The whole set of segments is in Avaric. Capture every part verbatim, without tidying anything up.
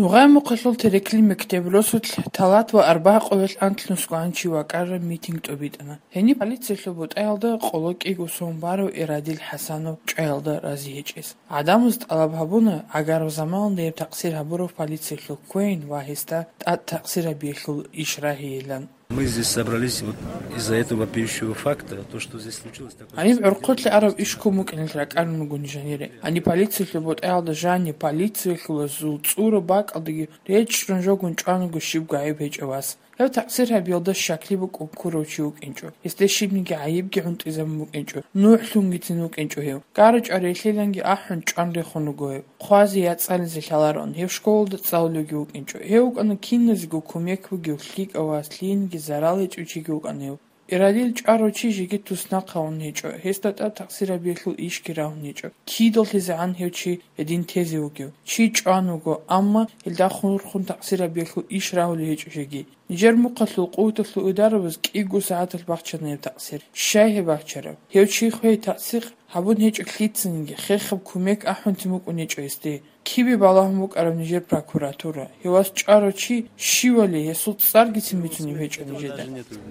Нугъай Мухъалъул Терекли мектеб росулъ талат ва арбагъ къоялъ анлънусгоан чи вакӀараб митинг тӀобитӀана. Гьениб полициялъул бутӀаялда къоло кӀиго сон барав Ирадил ХӀасанов чӀваялда рази гьечӀес. ГӀадамаз тӀалаб гьабуна, гӀагараб заманалда гьеб такъсир гьабурав полициялъул кквейин ва гьесда тӀад такъсир гьабиялъул иш рагьейилан. Мы здесь собрались вот из-за этого вопиющего факта, то, что здесь случилось такое. Гьаниб гӀурхъулъе араб иш ккун букӀиналъ ракӀарун руго нижанире. Гьаниб полициялъул бутӀаялда жаниб полициялъулазул цӀураб бакӀалдаги речӀчӀун жогун чӀван руго щибго гӀайиб гьечӀев вас. Гьев такъсир гьабиялда щаклъи букӀун ккурав чи вукӀинчӀо. Гьесде щибниги гӀайибги гӀунтӀизабун букӀинчӀо. НухӀлъунгицин вукӀинчӀо гьев. ГарачӀварилъиланги ахӀун чӀван рехун руго гьев. Хъвазе яцӀализе лъалароан, гьев школалда цӀалулевги вукӀинчӀо. Гьев вукӀана киназего кумек бугев, лъикӀав вас, лъиениги зарал гьечӀев чиги вукӀана гьев. Ирадил чӀварав чи жеги туснахъ гьавун гьечӀо, гьесда тӀад такъсир гьабиялъул ишги рагьун гьечӀо. КидаллъизегӀан гьев чи гьедин тезе вугев? Чи чӀван вуго, амма гьелда хурхун такъсир гьабиялъул иш рагьулев гьечӀо жеги. Нижер Мухъалъул къуваталъул идарабаз кӀиго сагӀаталъ бахчана гьеб такъсир. Щай гьеб бахчараб? Гьев чи хвей тасдикъ гьабун гьечӀо лъицаниги, хехаб кумек ахӀунтин букӀун гьечӀо гьесде. Кибе балагьун букӀараб нижер прокуратура? Гьев вас чӀварав чи щивали, гьесул цӀаргицин бицунеб гьечӀо нижеда.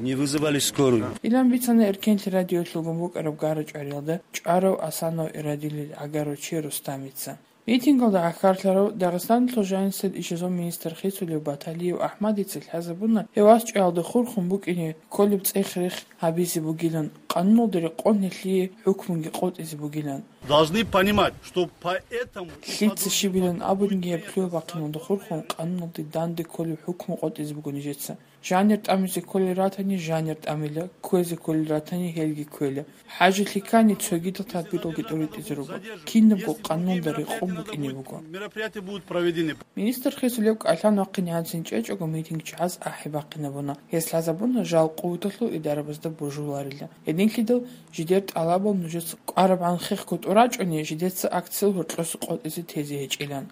Не вызывали скорую. Илан бицана Эркенлъи радиолъулгун букӀараб гара чӀвариялда чӀварав ХӀасанов Ирадилил гӀагарав чи Рустамица. Митингалда гӀахьарлъарав Дагъистаналъул жанисел ишазул министр хисулев Баталиев АхӀмадица лъазабуна, гьев вас чӀваялда хурхун букӀине кколеб цӀех-рех гьабизе бугилан, къануналда рекъон гьелъие хӀукмуги къотӀизе бугилан. Должны понимать, что по этому и по Лъица другим щибилан абуниги, гьеб лъугьа-бахъиналда хурхун къануналде данде кколеб хӀукму къотӀизе буго нижеца. Жанир тӀамизе кколел ратани, жанир тӀамила, кквезе кколел ратани, гьелги кквела. ХӀажалъи ккани, цогидал тадбиралги тӀоритӀизе руго. Кинабго къануналда рекъон букӀине буго. Мероприятия будут проведены. Министр хисулев кӀалъан вахъине гьанцин чӀечӀого митингчи гьаз ахӀи бахъинабуна. Гьес лъазабуна жал къуваталъул идарабазда божуларила. Гьединлъидал жидер тӀалабал нужеца кӀварабгӀан хехго тӀурачӀони, жидеца акциял гьоркьоса къотӀизе тезе гьечӀилан.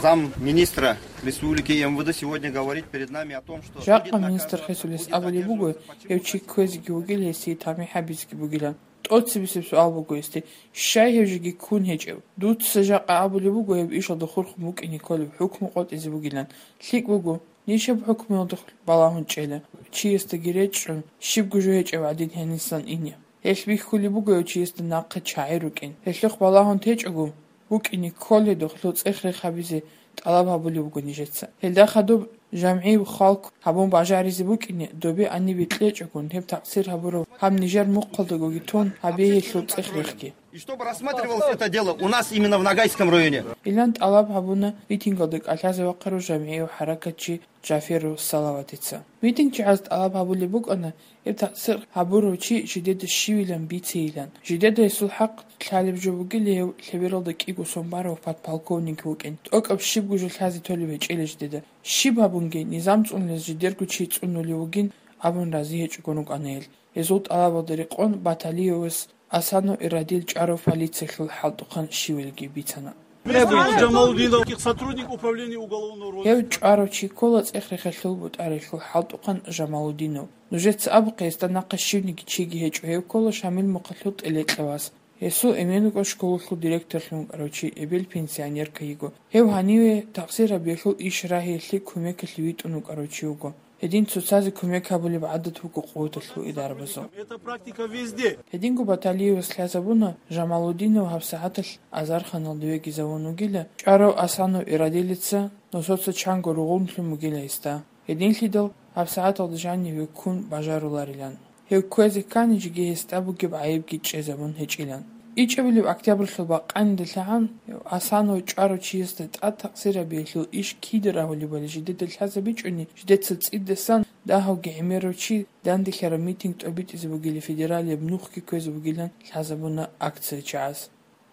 Замминистра республики МВД сегодня говорит перед нами о том, что Жакъа будет министр наказываться, хисулес будет абулеб буго, задерживаться гьев чи почему-то кквезеги вугил, гьесие тамихӀ гьабизеги бугилан. ТӀоцебесеб суал буго гьесде, щай гьев жеги ккун гьечӀев? Дуца жакъа абулеб буго гьеб ишалда хурхун букӀине кколеб хӀукму къотӀизе бугилан. ЛъикӀ буго, ниж гьеб хӀукмуялда балагьун чӀела, чиясдаги речӀчӀун, щибго жо гьечӀеб гӀадин гьенисан ине. Гьелъ бихьулеб буго гьев чиясда нахъе чагӀи рукӀин. Гьелъухъ балагьун течӀого, букӀине кколедухъ, гьелъул цӀех-рех гьабизе тӀалаб гьабулеб буго нижеца. Гьелда хадуб жамгӀияб халкъ гьабун бажаризе букӀине, добе анибе кьечӀогун, гьеб такъсир гьабурав гьаб нижер мухъалдагоги тун гьабе гьелъул цӀех-рехги. И чтобы рассматривалось это дело у нас именно в Ногайском районе. Илан тӀалаб гьабуна митингалда кӀалъазе вахъарав жамгӀияв хӀаракатчи Джаферов Салаватица. Митингчи гьаз тӀалаб гьабулеб букӀана, гьеб такъсир гьабурав чи жидеда щивилан бицейилан. Жидеда гьесул хӀакъ лъалеб жо бугила, гьев лъебералда кӀиго сон барав подполковник вукӀин. ТӀокӀаб щибго жо лъазе толеб гьечӀила жидеда. Щиб гьабунги, низам цӀунулез жидерго чи цӀунулев вугин абун рази гьечӀого рукӀана гьел. Гьезул тӀалабалда рекъон Баталиевас ХӀасанов Ирадил чӀварав полициялъул хӀалтӀухъан щивалиги бицана. Мистер Джамалудинов, сотрудник управления уголовного розыска. Гьев чӀварав чи ккола цӀех-рехалъул бутӀаралъул хӀалтӀухъан Жамалудинов. Нужеца абухъе, гьесда нахъа щивниги чиги гьечӀо, гьев ккола Шамил мухъалъул тӀелекьа вас. Гьесул эмен вукӀун школалъул директорлъун вукӀарав чи, эбел пенсионерка йиго. Гьев гьаниве такъсир гьабиялъул иш рагьиялъе кумекалъе витӀун вукӀарав чи вуго. Гьедин цоцазе кумек гьабулеб гӀадат буго къуваталъул идарабазул. Это практика везде. Гьединго Баталиевас лъазабуна, Жамалудинов гьабсагӀаталъ азарханалда вегизавун вугила, чӀварав ХӀасанов Ирадилица нусаца чанго ругъунлъун бугила гьесда. Гьединлъидал гьабсагӀаталда жаниве ккун бажаруларилан. Гьев кквезе кканичӀеги гьесда бугеб гӀайибги чӀезабун гьечӀилан. ИчӀабилеб октябрьлъул бакъанида лъагӀан, ХӀасанов чӀварав чиясда тӀад такъсир гьабиялъул иш кида рагьулебали жидеда лъазабичӀони, жидеца цӀидасан дагьавги гӀемерав чи данделъараб митинг тӀобитӀизе бугила, федералияб нухги кквезе бугилан лъазабуна акциячи гьаз.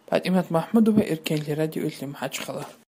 ПатӀимат МахӀмудова, Эркенлъи радиоялъе МахӀачхъала.